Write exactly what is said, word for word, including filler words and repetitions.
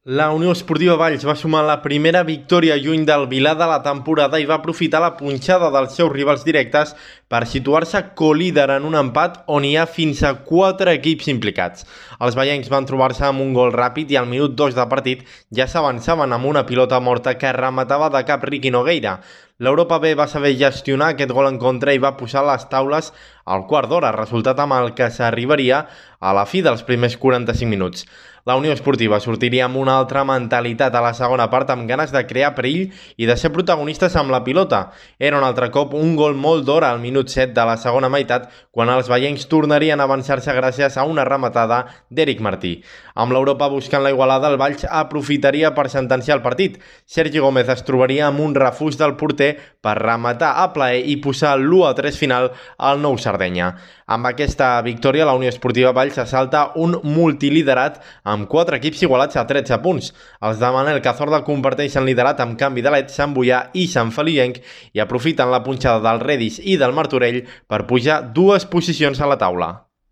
La Unió Esportiva Valls va sumar la primera victòria lluny del Vilar de la temporada i va aprofitar la punxada dels seus rivals directes per situar-se colíder en un empat on hi ha fins a quatre equips implicats. Els vallencs van trobar-se amb un gol ràpid i al minut dos de partit ja s'avançaven amb una pilota morta que rematava de cap Riqui Nogueira. L'Europa B va saber gestionar aquest gol en contra i va posar les taules al quart d'hora, resultat amb el que s'arribaria a la fi dels primers quaranta-cinc minuts. La Unió Esportiva sortiria amb una altra mentalitat a la segona part amb ganes de crear perill i de ser protagonistes amb la pilota. Era un altre cop un gol molt d'hora al minut set de la segona meitat quan els vallencs tornarien a avançar-se gràcies a una rematada d'Eric Martí. Amb l'Europa buscant la igualada, el Valls aprofitaria per sentenciar el partit. Sergi Gómez es trobaria amb un refús del porter per rematar a plaer i posar l'u a tres final al Nou Sardenya. Amb aquesta victòria, la Unió Esportiva Valls assalta un multiliderat amb quatre equips igualats a tretze punts. Els de Manel Cazorla comparteixen liderat amb canvi de l'Ed, Sant Boià i Sant Feliuenc i aprofiten la punxada del Redis i del Martorell per pujar dues posicions a la taula.